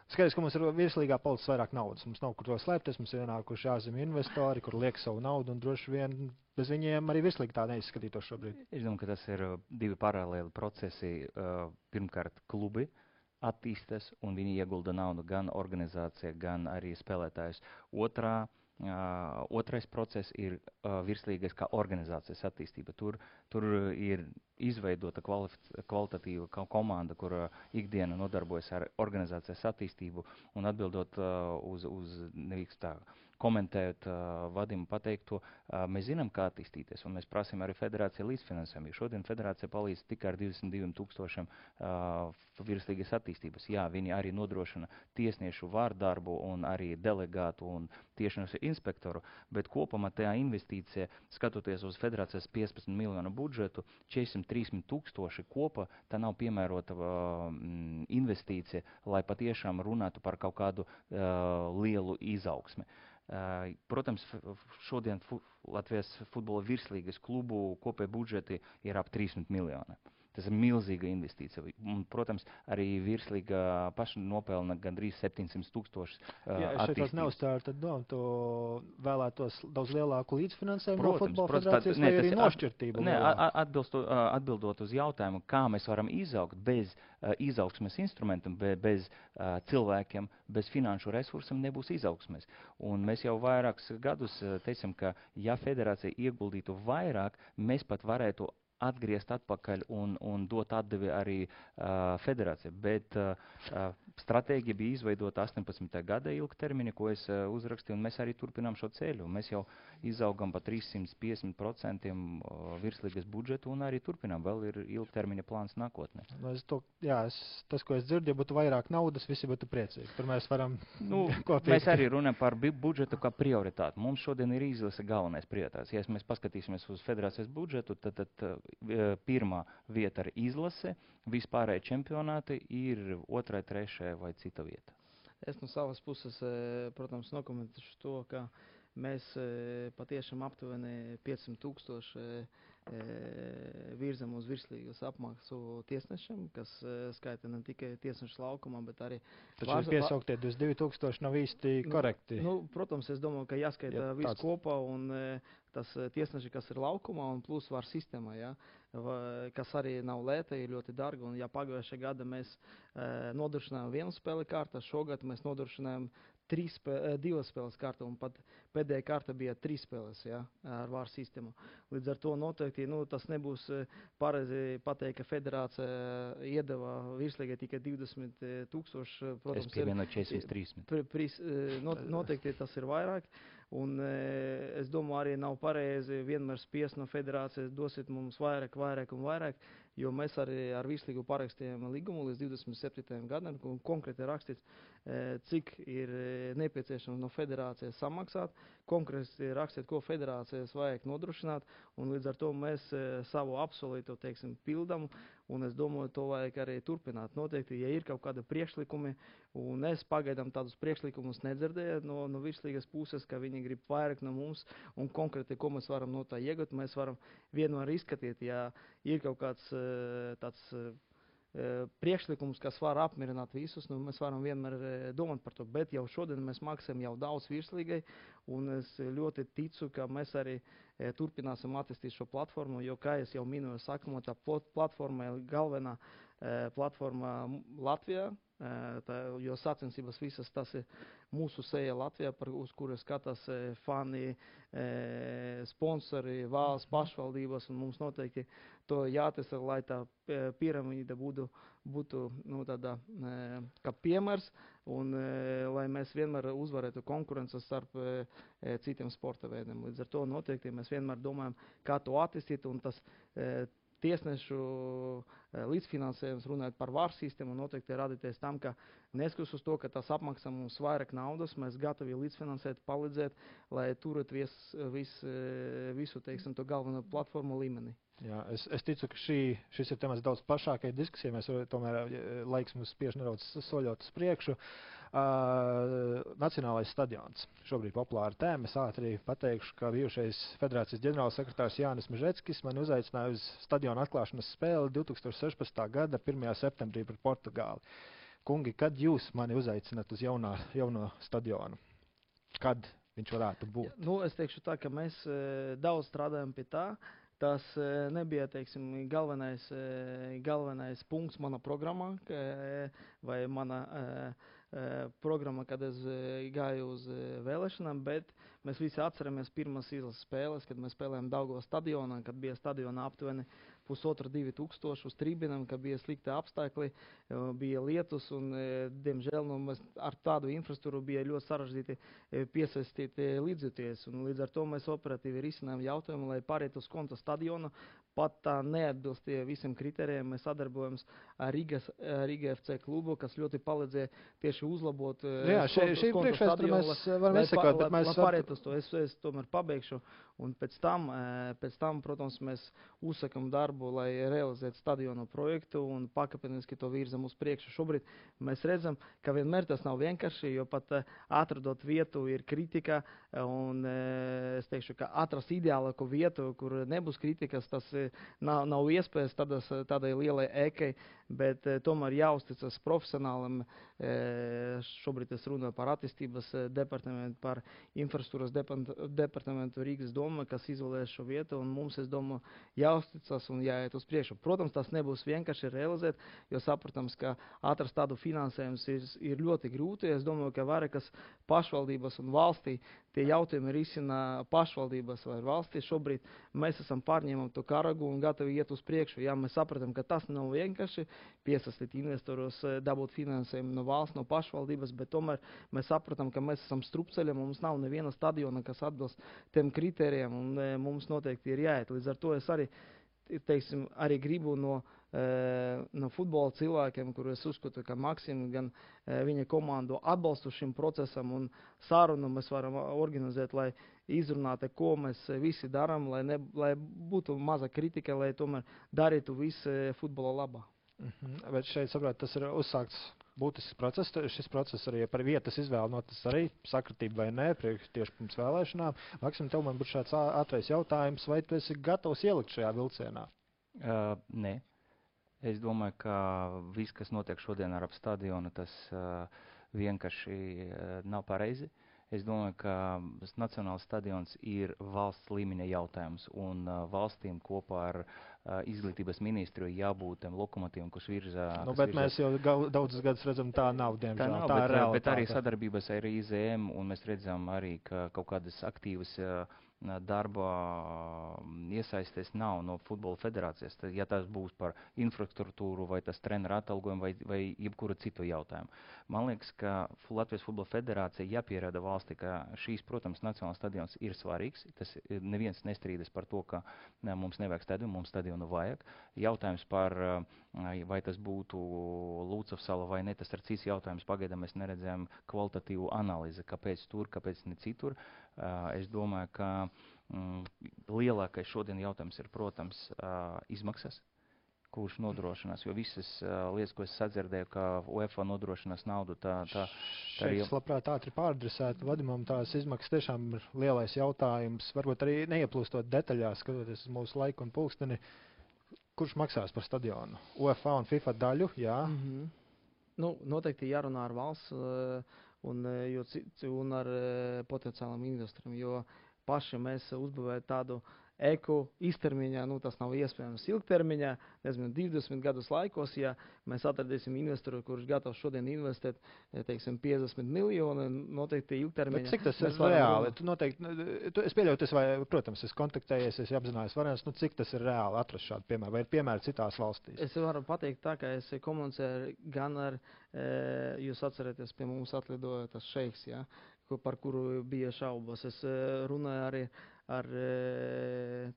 Skaidrs, ka mums ir virslīgā palicis vairāk naudas. Mums nav kur to slēpties, mums ir ienākuši ārzemju investori, kur liek savu naudu, un droši vien bez viņiem arī virslīgi tā neizskatītos šobrīd. Es domāju, ka tas ir divi paralēli procesi. Pirmkārt, klubi attīstas, un viņi iegulda naudu gan organizācijā, gan arī spēlētājus. Otrā, uh, otrais process ir uh, virslīgas kā organizācijas attīstība. Tur, tur ir izveidota kvalitatīva komanda, kur uh, ikdiena nodarbojas ar organizācijas attīstību, un atbildot uh, uz, uz nevīks tā, komentējot uh, Vadimu pateikto, uh, mēs zinām, kā attīstīties, un mēs prasām arī federācija līdzfinansējumu. Šodien federācija palīdz tikai ar divdesmit diviem tūkstošiem uh, virslīgas attīstības. Jā, viņi arī nodrošina tiesniešu vārdarbu un arī delegātu un tiesnešu inspektoru, bet kopumā tajā investīcija, skatoties uz federācijas piecpadsmit miljonu budžetu, četrsimt trīsdesmit tūkstoši kopā, tā nav piemērota uh, investīcija, lai patiešām runātu par kaut kādu uh, lielu izaugsmi. Uh, protams, šodien fu Latvijas futbola virslīgas klubu kopēji budžeti ir ap trīsdesmit miljoni. Tas ir milzīga investīcija. Un, protams, arī virslīga paša nopelna gandrīz septiņsimt tūkstoši uh, Jā, es šeit neuzstāru, tad dom, tu vēlētos daudz lielāku līdzfinansējumu no futbola protams, federācijas, tā, vai ne, arī tas, nošķirtību? Ne, atbilsto, atbildot uz jautājumu, kā mēs varam izaugt bez uh, izaugsmes instrumentam, be, bez uh, cilvēkiem, bez finanšu resursiem nebūs izaugsmes. Un mēs jau vairākus gadus uh, teicam, ka ja federācija ieguldītu vairāk, mēs pat varētu atgriezt atpakaļ un, un dot atdevi arī uh, federācija. Bet uh, uh, stratēģija bija izveidota astoņpadsmitā gada ilgtermiņa, ko es uh, uzrakstīju, un mēs arī turpinām šo ceļu. Mēs jau izaugam pa trīssimt piecdesmit procentiem uh, virslīgas budžetu un arī turpinām. Vēl ir ilgtermiņa plāns nākotnē. Nu, es to, jā, es, tas, ko es dzirdu, ja būtu vairāk naudas, visi būtu priecīgi. Tur mēs varam nu, kopīgi. Mēs arī runājam par budžetu kā prioritāti. Mums šodien ir izlase galvenais prioritāts. Ja mēs paskatīsimies uz federācijas budžetu, tad, tad pirmā vieta ir izlase, vispārēji čempionāti ir otrai, trešai vai cita vieta. Es no savas puses, protams, nokomentēšu to, ka mēs patiešām aptuveni piecsimt tūkstoši virzam uz virslīgas apmaksu tiesnešiem, kas skaita ne tikai tiesnešu laukumā, bet arī... Taču vārz... piesauktie divdesmit divi tūkstoši nav īsti korekti. Nu, nu, protams, es domāju, ka jāskaita Jā, viss tāds. kopā un tas tiesneši, kas ir laukumā un plus var sistēmā, ja. va, kas arī nav lēta, ir ļoti dārga. Un, ja pagājušajā gada mēs uh, nodrošinājām vienu spēli kārtu, šogad mēs nodrošinājām trīs spē, divas spēles kārtu, un pat pēdējā kārta bija trīs spēles, ja, ar vāru sistēmu. Līdz ar to noteikti, nu, tas nebūs pareizi pateikt, ka federācija iedeva virslīgai tikai divdesmit tūkstoši. Es pievienoju četrdesmit trīs. Noteikti tas ir vairāk. Un es domāju, arī nav pareizi vienmēr spiest no federācijas dosiet mums vairāk, vairāk un vairāk, jo mēs arī ar virslīgu parakstījām līgumu līdz divdesmit septītajam gadam, un konkrēti rakstīts, cik ir nepieciešams no federācijas samaksāt, konkrēti rakstīt, ko federācijas vajag nodrošināt, un līdz ar to mēs savu apsolīto, teiksim, pildam, un es domāju, to vajag arī turpināt. Noteikti, ja ir kaut kāda priekšlikumi, un es pagaidām tādus priekšlikumus nedzirdēju no, no virslīgas puses, ka viņi grib vairāk no mums, un konkrēti, ko mēs varam no tā iegūt, mēs varam vienmēr izskatīt, ja ir kaut kāds tāds priekšlikums, kas var apmierināt visus, nu, mēs varam vienmēr domāt par to, bet jau šodien mēs maksājam jau daudz virslīgai, un es ļoti ticu, ka mēs arī turpināsim attīstīt šo platformu, jo, kā es jau minēju, sākumā tā platforma ir galvenā platforma Latvijā, tā, jo sacensības visas tas ir mūsu seja Latvijā, par, uz kuras skatās fani, sponsori, valsts pašvaldības, un mums noteikti to jātesa, lai tā piramīda būtu, būtu nu, tāda, kā piemērs, un lai mēs vienmēr uzvarētu konkurences starp citiem sporta veidiem. Līdz ar to noteikti mēs vienmēr domājam, kā to attīstīt, un tas tiesnešu līdzfinansējums runājot par vāru sistēmu noteikti radīties tam, ka neskatās uz to, ka tas apmaksā mums vairāk naudas, mēs gatavi līdzfinansēt, palīdzēt, lai turēt vis, vis, visu, teiksim, to galveno platformu līmeni. Jā, es, es ticu, ka šī, šis ir temats daudz plašākai diskusijai, mēs tomēr laiks mums spiež nedaudz soļot uz priekšu. Uh, Nacionālais stadions. Šobrīd populāra tēma. Es ātri pateikšu, ka bijušais federācijas ģenerālsekretārs Jānis Mežeckis mani uzaicināja uz stadiona atklāšanas spēli divtūkstoš sešpadsmitā gada pirmajā septembrī pret Portugāli. Kungi, kad jūs mani uzaicināt uz jaunā, jauno stadionu? Kad viņš varētu būt? Ja, nu, es teikšu tā, ka mēs e, daudz strādājam pie tā. Tas e, nebija, teiksim, galvenais, e, galvenais punkts mana programmā, e, vai mana e, programma, kad es gāju uz vēlēšanām, bet mēs visi atceramies pirmās izlases spēles, kad mēs spēlējām Daugavas stadionā, kad bija stadionā aptuveni pusotra divi tūkstoši uz tribīnām, kad bija slikti apstākļi, bija lietus un, diemžēl, nu, mēs ar tādu infrastruktūru bija ļoti sarežģīti piesaistīt līdzjūties. Un līdz ar to mēs operatīvi risinājām jautājumu, lai pāriet uz konta stadionu. Pat tā neatbilst visiem kritērijiem. Mēs sadarbojamies ar Rīgas, Rīga F C klubu, kas ļoti palīdzēja tieši uzlabot Jā, šī, šī priekšvēsture mēs varam izsekot, bet mēs... Lai pāriet uz to, es, es tomēr pabeigšu. Un pēc tam, pēc tam, protams, mēs uzsakam darbu, lai realizētu stadionu projektu un pakāpeniski to virzam uz priekšu. Šobrīd mēs redzam, ka vienmēr tas nav vienkārši, jo pat atradot vietu ir kritika, un es teikšu, ka atrast ideālāku vietu, kur nebūs kritikas, tas nav, nav iespējas tādas, tādai lielai ēkai, bet tomēr jāuzticas profesionālam. Šobrīd es runāju par attīstības departamentu, par infrastruktūras departamentu Rīgas doma, kas izvēlēs šo vietu, un mums, es domāju, jāuzticas un jāiet uz priekšu. Protams, tas nebūs vienkārši realizēt, jo saprotams, ka atrast tādu finansējumus ir, ir ļoti grūti. Es domāju, ka vairākas pašvaldības un valstī tie jautājumi risina pašvaldības vai valstī. Šobrīd mēs esam pārņēmam to karagu un gatavi iet uz priekšu. Jā, mēs sapratam, ka tas nav vienkārši piesaistīt investorus, dabūt finansējumu no valsts, no pašvaldības, bet tomēr mēs sapratam, ka mēs esam strupceļi, mums nav neviena stadiona, kas atbilst tiem kritērijiem, un e, mums noteikti ir jāiet. Līdz ar to es arī, teiksim, arī gribu no, e, no futbola cilvēkiem, kur es uzskatu, ka Maksim gan e, viņa komandu atbalstu šim procesam un sarunu mēs varam organizēt, lai izrunātu, ko mēs visi darām, lai, ne, lai būtu maza kritika, lai tomēr darītu visu futbola labā. Mhm, bet šeit, saprāt, tas ir uzsākts būtisks process. Šis process arī par vietas izvēli notis arī sakratība vai nē, priekš tieši pirms vēlēšanām. Maksim, tev man būtu šāds ātrais jautājums, vai tu esi gatavs ielikt šajā vilcienā? Uh, nē. Es domāju, ka viss, kas notiek šodien ar ap stadionu, tas uh, vienkārši uh, nav pareizi. Es domāju, ka Nacionāls stadions ir valsts līmeņa jautājums, un uh, valstīm kopā ar uh, uh, izglītības ministru jābūt tam lokomotīvam, kurš virzā. Nu, kas bet virzā. mēs jau gau- daudzus gadus redzam, tā nav, diemžēl. Tā nav, tā bet, ir uh, bet arī realitāte. sadarbības ar I Z M, un mēs redzam arī, ka kaut kādas aktīvas uh, darba iesaisties nav no futbola federācijas. Tad, ja tas būs par infrastruktūru vai tas treneru atalgojumu vai, vai jebkuru citu jautājumu. Man liekas, ka Latvijas futbola federācija jāpierāda valsti, ka šīs, protams, nacionālais stadions ir svarīgs. Tas neviens nestrīdas par to, ka ne, mums nevajag stadionu, mums stadionu vajag. Jautājums par, vai tas būtu Lūcavsala vai ne, tas ir cits jautājums. Pagaidām mēs neredzējām kvalitatīvu analīzi, kāpēc tur, kāpēc ne citur. Uh, es domāju, ka mm, lielākais šodien jautājums ir, protams, uh, izmaksas, kurš nodrošinās, jo visas uh, lietas, ko es sadzirdēju, ka UEFA nodrošinās naudu, tā, tā, tā Šeit es labprāt ātri pāradresētu Vadimam, tās izmaksas tiešām ir lielais jautājums, varbūt arī neieplūstot detaļās, skatoties uz mūsu laiku un pulksteni, kurš maksās par stadionu? UEFA un FIFA daļu, jā. Mm-hmm. Nu, noteikti jārunā ar valsts uh, un, jo, un ar uh, potenciālām investoriem, jo paši mēs uzbūvēt tādu eku īstermiņā, nu tas nav iespējams ilgtermiņā, nezinu, divdesmit gadus laikos, ja mēs atradīsim investoru, kurš gatavs šodien investēt, teiksim, piecdesmit miljoni, noteikti ilgtermiņā. Bet cik tas ir reāli? Tu noteikti, tu, es pieļauju, tas vai, protams, es kontaktējies, es apzinājos variants, nu cik tas ir reāli atrast šādu piemēru, vai ir piemēri citās valstīs? Es varu pateikt tā, ka es komunicēju gan ar, e, jūs atcerieties, pie mums atlidoja tas šeiks, ja, par kuru bija šaubas. Es e, runāju arī ar,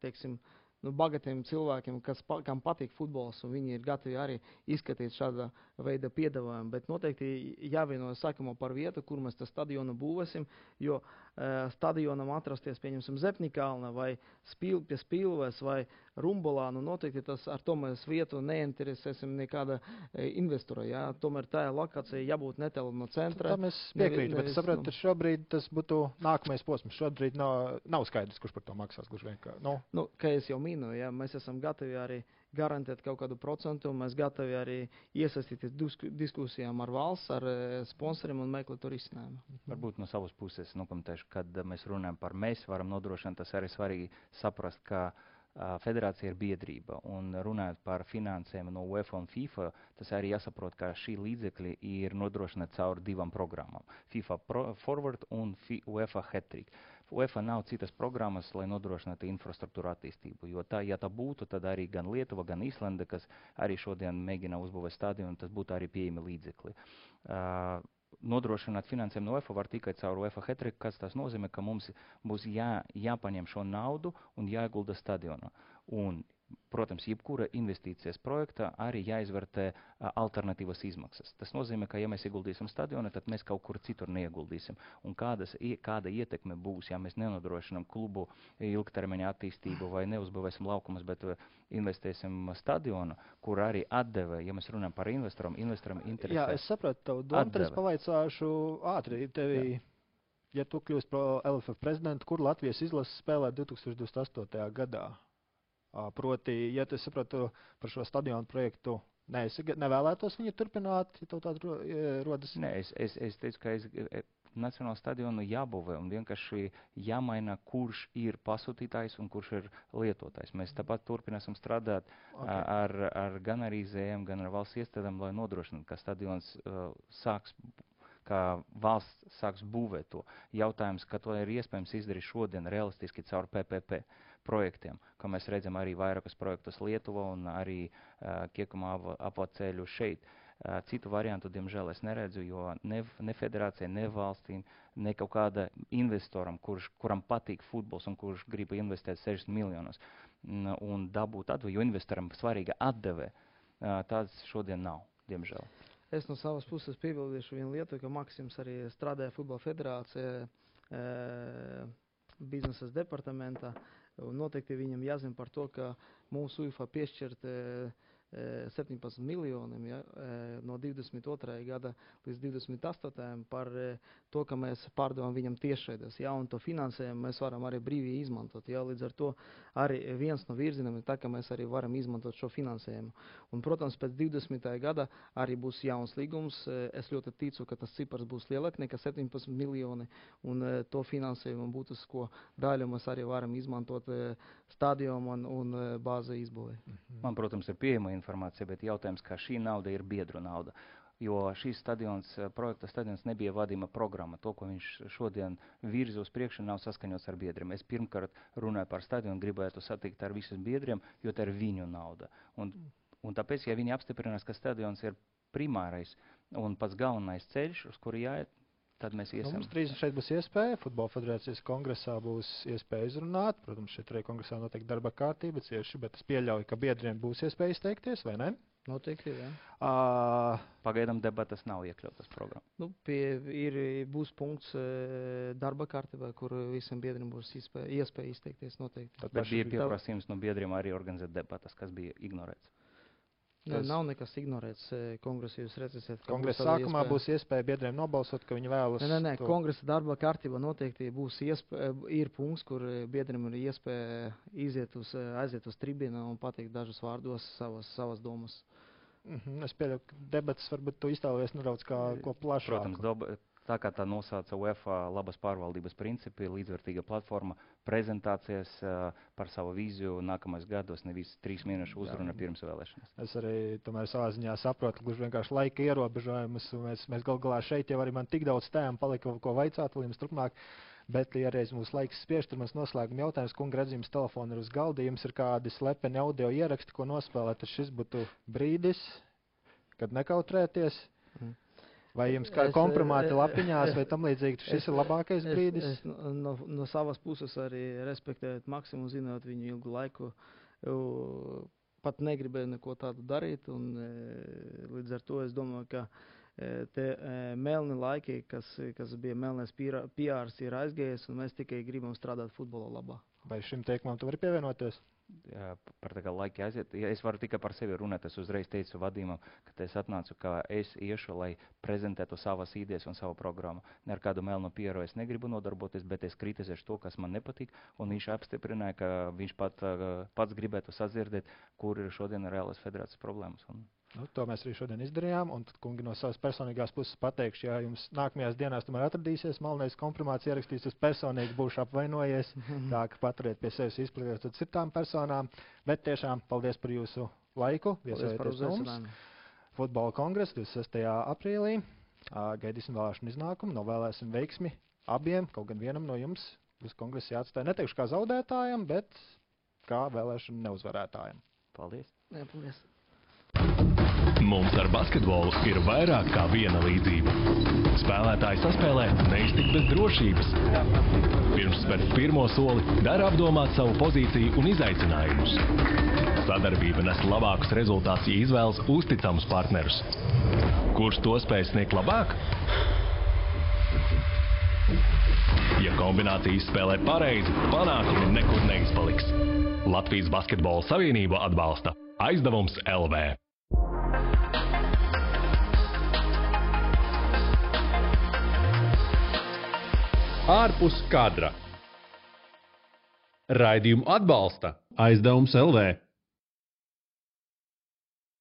teiksim, nu, bagatiem cilvēkiem, kas, pa, kam patīk futbols, un viņi ir gatavi arī izskatīt šāda veida piedāvājumu. Bet noteikti jāvienojas sākumā par vietu, kur mēs tā stadionu būvēsim, jo uh, stadionam atrasties, pieņemsim, Zepnikalna vai spīl, pie Spīlvēs vai Rumbolā, nu noteikti tas ar to mēs vietu neinteresēsim nekāda e, investora, jā. Tomēr tā lokācija jābūt netālu no centra. Tā mēs piekrītam, bet es sapratu, nu, ka šobrīd tas būtu nākamais posms. Šobrīd nav, nav skaidrs, kurš par to maksās, gluži vienkārši. No. Nu, kā es jau minu, jā, mēs esam gatavi arī garantēt kaut kādu procentu, mēs gatavi arī iesaistīties disku, diskusijām ar valsts, ar e, sponsoriem un meklēt to risinājumu. Varbūt no savas puses nokomentēšu, kad mēs runājam par mēs varam nodrošināt, tas arī svarīgi saprast, ka federācija ir biedrība, un runājot par finansēm no UEFA un FIFA, tas arī jāsaprot, ka šī līdzekļi ir nodrošināti caur divām programmām. FIFA Pro Forward un UEFA Hat-Trick. UEFA nav citas programmas, lai nodrošinātu infrastruktūru attīstību, jo tā, ja tā būtu, tad arī gan Lietuva, gan Īslanda, kas arī šodien mēģina uzbūvēt stadionu, tas būtu arī pieejami līdzekļi. Uh, Nodrošināt finansējumu no UEFA var tikai caur UEFA Hat-Trick, kas tas nozīmē, ka mums būs jā, jāpaņem šo naudu un jāiegulda stadionā. Un, protams, jebkura investīcijas projektā arī jāizvērtē alternatīvas izmaksas. Tas nozīmē, ka ja mēs ieguldīsim stadionā, tad mēs kaut kur citur neieguldīsim. Un kādas, kāda ietekme būs, ja mēs nenodrošinām klubu ilgtermiņa attīstību vai neuzbūvēsim laukumus, bet investēsim stadionu, kur arī atdeve, ja mēs runājam par investoram, investoram interesē. Jā, es sapratu tavu domu, tad es pavaicāšu ātri tevi. Jā. Ja tu kļūst par L F F prezidentu, kur Latvijas izlases spēlē divs tūkstoši divdesmit astotajā gadā? Proti, ja tu sapratu par šo stadionu projektu, ne, es nevēlētos viņu turpināt, ja tev tāda rodas? Nē, es, es, es teicu, ka es, nacionālu stadionu jābūvē un vienkārši jāmaina, kurš ir pasūtītājs un kurš ir lietotājs. Mēs tāpat turpināsim strādāt okay. ar, ar gan ar I Z M, gan ar valsts iestādēm, lai nodrošinātu, ka stadions uh, sāks ka valsts sāks būvēt to. Jautājums, ka to ir iespējams izdarīt šodien realistiski caur P P P projektiem, ka mēs redzam arī vairākus projektus Lietuvā un arī uh, Kiekuma apvaceļu šeit. Uh, citu variantu, diemžēl, es neredzu, jo ne, ne federācija, ne valstīm, ne kaut kāda investoram, kurš, kuram patīk futbols un kurš grib investēt sešdesmit miljonus un dabūt atdevi, jo investoram svarīga atdeve, uh, tāds šodien nav, diemžēl. Es no savas puses piebildīšu vienu lietu, ka Maksims arī strādāja futbola federācijā e, biznesas departamentā. Un noteikti viņam jāzina par to, ka mūsu UEFA piešķirt e, septiņpadsmit miljoniem ja, no divdesmit otrā gada līdz divdesmit astotajam par to, ka mēs pārdevām viņam tiešraides. Ja, un to finansējumu mēs varam arī brīvi izmantot. Ja, līdz ar to arī viens no virzieniem ir tā, ka mēs arī varam izmantot šo finansējumu. Un, protams, pēc divdesmitā gada arī būs jauns līgums. Es ļoti ticu, ka tas cipars būs lielāk nekā septiņpadsmit miljoni, un to finansējumu būtisko daļu mēs arī varam izmantot stadionu un, un bāzi izbūvē. Man, protams, ir pieejama informācija, bet jautājums, ka šī nauda ir biedru nauda. Jo šīs stadions, projekta stadions nebija vadījuma programma. To, ko viņš šodien virza uz priekšu, nav saskaņots ar biedriem. Es pirmkārt runāju par stadionu, gribētu satikt ar visiem biedriem, jo tā ir viņu nauda. Un, un tāpēc, ja viņi apstiprinās, ka stadions ir primārais un pats galvenais ceļš, uz kuru jāiet, tad mēs iesim. Nu, mums trīs šeit būs iespēja. Futbola federācijas kongresā būs iespēja izrunāt. Protams, šeit arī kongresā noteikti darba kārtība cieši, bet es pieļauju, ka biedriem būs iespēja izteikties, vai ne? Noteikti, jā. Uh, Pagaidām debatas nav iekļautas programmā. Nu, pie, ir, būs punkts darba kārtībā, kur visiem biedriem būs iespēja, iespēja izteikties noteikti. Tad bet bija pieprasījums no biedriem arī organizēt debatas, kas bija ignorēts. Ne, nav nekas ignorēts kongresu, jūs redzēsiet. Kongresa sākumā iespēja... būs iespēja biedriem nobalsot, ka viņi vēlas... Nē, nē, nē, to... kongresa darba kārtībā noteikti būs iespēja, ir punkts, kur biedriem ir iespēja iziet uz, aiziet uz tribīnu un pateikt dažus vārdos savas, savas domas. Mm-hmm, es pieļauju, ka debatas varbūt tu iztāvies nedaudz kā ko plašāku. Protams, doba... Tā kā tā nosauca UEFA labas pārvaldības principi, līdzvērtīga platforma, prezentācijas uh, par savu vīziju nākamais gados, nevis trīs mēnešu uzruna pirms vēlēšanas. Es arī tomēr savā ziņā saprotu, gluži vienkārši laika ierobežojumus. Mēs, mēs gal galā šeit jau arī man tik daudz tēmu palika, ko vaicāt vēl jums turpmāk. Bet, ja reiz mūsu laiks spiež, tad mums noslēguma jautājums, kunga redzījums telefona ir uz galda, jums ir kādi slepeni audio ieraksti, ko nospēlēt, tad šis būtu brīdis, kad nekautrēties. Mm. Vai jums kā kompromāti lapiņās vai tam līdzīgi, šis ir labākais brīdis? Es, es no, no savas puses arī respektējot Maksimu, zinot viņu ilgu laiku, pat negribēju neko tādu darīt, un līdz ar to es domāju, ka te melni laiki, kas, kas bija melnais P R, ir aizgājies, un mēs tikai gribam strādāt futbola labā. Vai šim teikumam tu vari pievienoties? Jā, par tā kā laiki aiziet. Ja es varu tikai par sevi runāt, es uzreiz teicu vadījumam, ka es atnācu, ka es iešu, lai prezentētu savas idejas un savu programmu. Ne ar kādu melnu pieru es negribu nodarboties, bet es kritizēšu to, kas man nepatīk, un viņš apstiprināja, ka viņš pat, pats gribētu sadzirdēt, kur ir šodien reālas federācijas problēmas. Un... Nu, to mēs arī šodien izdarījām, un tad, kungi, no savas personīgās puses pateikšu, ja jums nākamajās dienās tomēr atradīsies malnais kompromāts ierakstīs, es personīgi būšu apvainojies, tā ka paturiet pie sevis izplatīties tad citām personām, bet tiešām paldies par jūsu laiku, viesojoties mums. Futbola kongress divdesmit sestajā aprīlī, gaidīsim vēlēšanu iznākumu, novēlēsim veiksmi abiem, kaut gan vienam no jums uz kongresu jāatstāja, neteikšu kā zaudētājam, bet kā vēlēšanu neuzvarētājam. Paldies! Jā, paldies! Mums ar basketbolu ir vairāk kā viena līdzība. Spēlētāji saspēlē neiztikt bez drošības. Pirms spērt pirmo soli, dara apdomāt savu pozīciju un izaicinājumus. Sadarbība nes labākus rezultātus, ja izvēlas uzticamus partnerus. Kurš to spēj sniegt labāk? Ja kombinācijas spēlē pareizi, panākumi nekur neizpaliks. Latvijas Basketbola Savienība atbalsta Aizdevums L V. Ārpus kadra. Raidījumu atbalsta Aizdevums L V.